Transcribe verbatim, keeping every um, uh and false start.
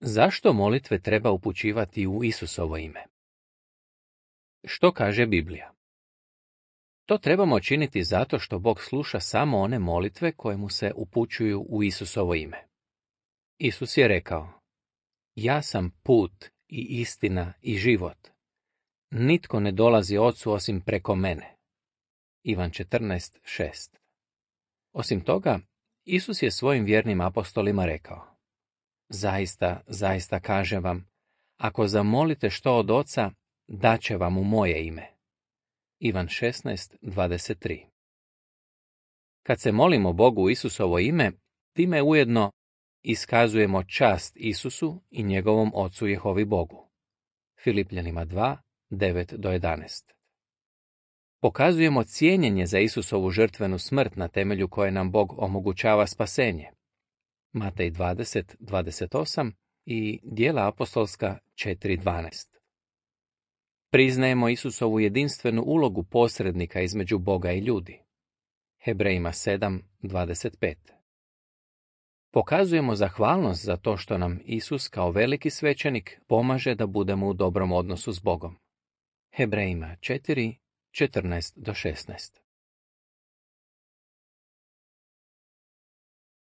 Zašto molitve treba upućivati u Isusovo ime? Što kaže Biblija? To trebamo činiti zato što Bog sluša samo one molitve koje mu se upućuju u Isusovo ime. Isus je rekao: Ja sam put i istina i život. Nitko ne dolazi Ocu osim preko mene. Ivan četrnaest šest. Osim toga, Isus je svojim vjernim apostolima rekao: Zaista, zaista kažem vam, ako zamolite što od Oca, daće vam u moje ime. Ivan šesnaest dvadeset tri. Kad se molimo Bogu u Isusovo ime, time ujedno iskazujemo čast Isusu i njegovom Ocu Jehovi Bogu. Filipljanima dva devet do jedanaest. Pokazujemo cijenjenje za Isusovu žrtvenu smrt na temelju koje nam Bog omogućava spasenje. Matej dvadeset dvadeset osam i Djela apostolska četiri dvanaest. Priznajemo Isusovu jedinstvenu ulogu posrednika između Boga i ljudi. Hebrejima sedam dvadeset pet. Pokazujemo zahvalnost za to što nam Isus kao veliki svećenik pomaže da budemo u dobrom odnosu s Bogom. Hebrejima četiri četrnaest do šesnaest.